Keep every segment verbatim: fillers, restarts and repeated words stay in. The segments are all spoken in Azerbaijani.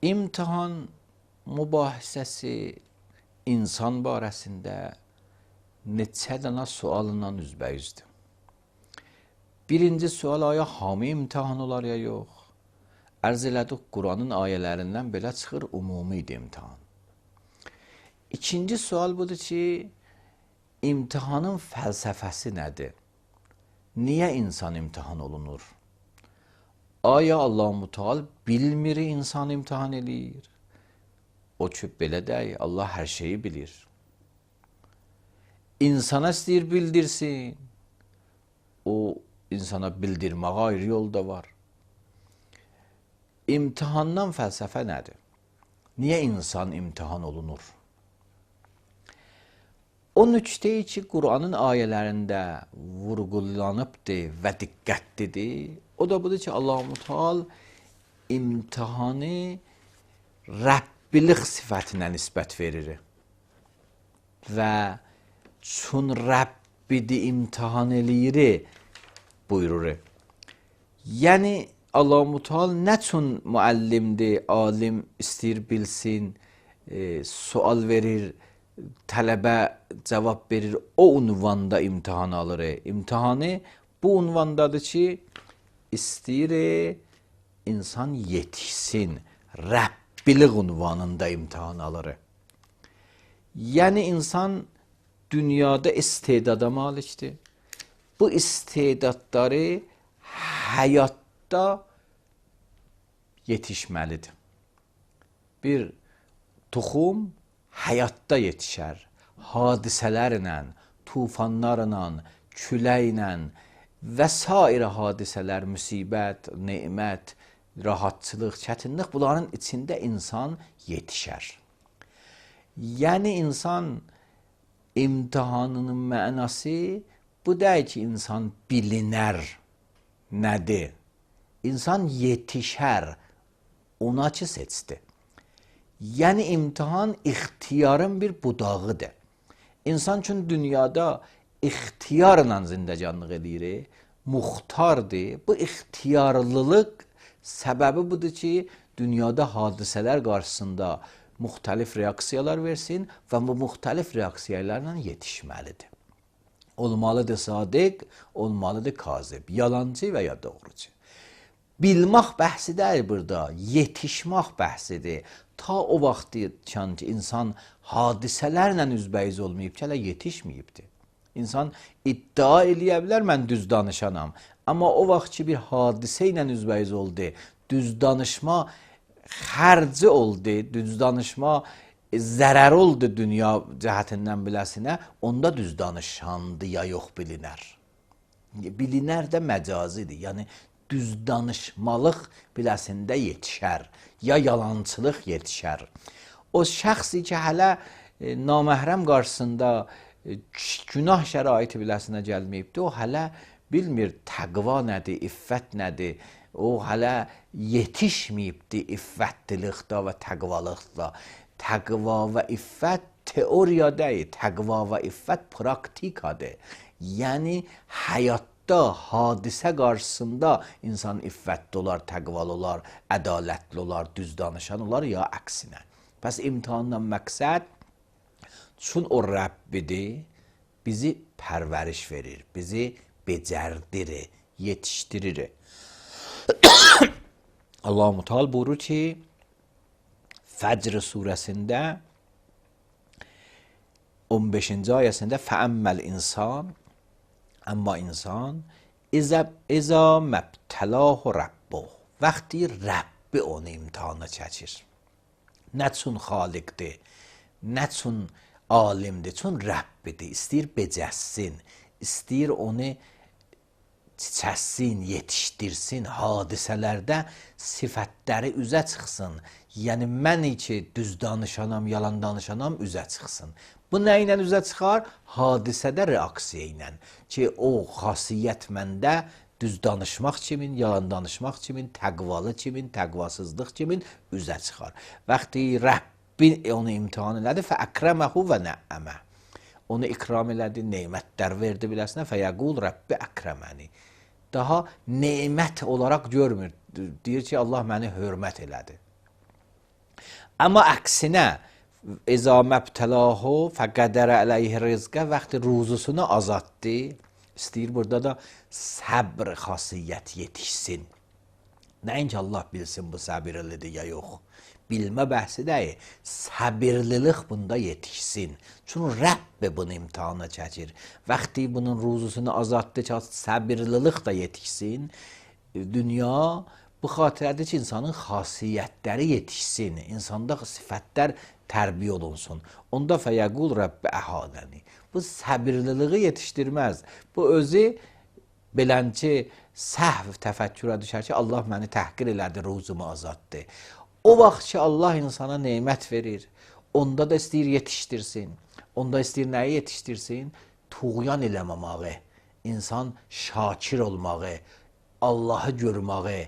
İmtihan mübahisəsi insan barəsində neçə dənə sualla üzbəyüzdür. Birinci sual, aya hamı imtihan olar ya yox? Ərz elədik, Quranın ayələrindən belə çıxır, ümumi idi imtihan. İkinci sual budur ki, imtihanın fəlsəfəsi nədir? Niyə insan imtihan olunur? Aya Allah-u Teala bilmir insan imtihan eləyir? O ki, belə deyək, Allah hər şeyi bilir. İnsana istəyir bildirsin. O, insana bildirməyə ayrı yol da var. İmtihandan fəlsəfə nədir? Niyə insan imtihan olunur? O nüqteyi ki, Quranın ayələrində vurğulanıbdır və diqqətlidir. O da budur ki, Allah-u Teala imtihanı Rəbbilik sifətinə nisbət verir. Və çün Rəbbidi imtihan eləyir buyurur. Yəni, Allah-u Teala nə üçün müəllimdir, alim istəyir bilsin, e, sual verir, tələbə cavab verir, o unvanda imtihan alır. İmtihanı bu unvandadır ki, istəyir insan yetişsin, Rəbbilik unvanında imtihan alır. Yəni, insan dünyada istedada malikdir. Bu istedadları həyatda yetişməlidir. Bir toxum həyatda yetişər. Hadisələrlə, tufanlarla, küləklə və sair hadisələr, müsibət, nemət, rahatçılıq, çətinlik, bunların içində insan yetişər. Yəni, insan imtihanının mənası bu deyil ki, insan bilinər nədir? İnsan yetişər, ona ki seçdi. Yəni, imtihan ixtiyarın bir budağıdır. İnsan üçün dünyada ixtiyarla zindəcanlıq edir, muxtardır. Bu ixtiyarlılıq səbəbi budur ki, dünyada hadisələr qarşısında müxtəlif reaksiyalar versin və bu müxtəlif reaksiyalarla yetişməlidir. Olmalıdır sadiq, olmalıdır kazib, yalancı və ya doğrucu. Bilmək bəhsi deyil burada, yetişmək bəhsidir. Ta o vaxtdan ki, insan hadisələrlə üzbəyiz olmayıb ki, hələ yetişməyibdir. İnsan iddia eləyə bilər, mən düz danışanam. Amma o vaxt ki, bir hadisə ilə üzbəyiz oldu, düz danışma xərci oldu, düz danışma zərər oldu dünya cəhətindən biləsinə, onda düz danışandı ya yox bilinər. Bilinər də məcazidir, yəni düz danışmalıq biləsində yetişər, ya yalançılıq yetişər. O şəxsi ki, hələ e, naməhrəm qarşısında e, günah şəraiti biləsinə gəlməyibdir, o hələ bilmir təqva nədir, iffət nədir, o hələ yetişməyibdir iffətlilikdə və təqvalıqda. Təqva və iffət teoriya deyil, təqva və iffət praktikadır. Yəni, həyatda, hadisə qarşısında insan iffətli olar, təqvalı olar, ədalətli olar, düz danışan olar, ya əksinə. Pəs imtihandan məqsəd, çün o Rəbbidir, bizi pərvəriş verir, bizi becərdirir, yetişdirir. Allah-u Teala buyurur ki, Fəcr surəsində on beşinci ayəsində fəəmməl insan, amma insan İza məbtəlahu Rabbuh, vaxtı Rəbbi onu imtihana çəkir. Nə üçün xaliqdir, nə üçün alimdir, çün Rəbbidir, istəyir becəssin, istəyir onu çiçəssin, yetişdirsin, hadisələrdə sifətləri üzə çıxsın. Yəni, mən ki, düz danışanam, yalan danışanam, üzə çıxsın. Bu nə ilə üzə çıxar? Hadisədə reaksiya ilə. Ki, o xasiyyət məndə düz danışmaq kimin, yalan danışmaq kimin, təqvalı kimin, təqvasızlıq kimin üzə çıxar. Vaxtı Rəbbi onu imtihan elədi, fəəkrəməhu və nəəmə. Onu ikram elədi, neymətlər verdi biləsinə, fəyəqul Rəbbi əkrəməni. Daha neymət olaraq görmür. Deyir ki, Allah məni hörmət elədi. Amma əksinə İza məbtəlahu fəqədərə əleyhi rizqə vaxtı ruzusunu azaltdı. İstəyir burada da səbr xasiyyəti yetişsin. Nəinki Allah bilsin bu səbirlidir ya yox. Bilmə bəhsi deyil. Səbirlilik bunda yetişsin. Çünki Rəbb bunu imtihana çəkir. Vaxtı bunun ruzusunu azaltdı ki, səbirlilik də yetişsin. Dünya bu xatirədir ki, insanın xasiyyətləri yetişsin. İnsanda sifətlər tərbiyə olunsun. Onda fəyəqul Rəbbə əhadəni. Bu səbirliliği yetişdirməz. Bu özü belənçi səhv təfəkkürə düşər ki, Allah məni təhqir elədi, ruzumu azaltdı. O vaxt ki, Allah insana nemət verir, onda da istəyir yetişdirsin. Onda istəyir nəyi yetişdirsin? Tuğyan eləməməyi, insan şakir olmağı, Allahı görməyi,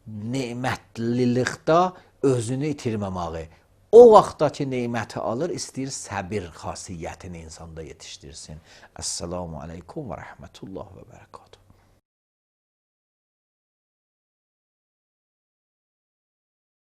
nemətlilikdə özünü itirməməyi. O vaxtdakı neməti alır, istəyir səbir xasiyyətini insanda yetişdirsin. Əssalamu aleykum və rəhmətullah və bərəkatuhu.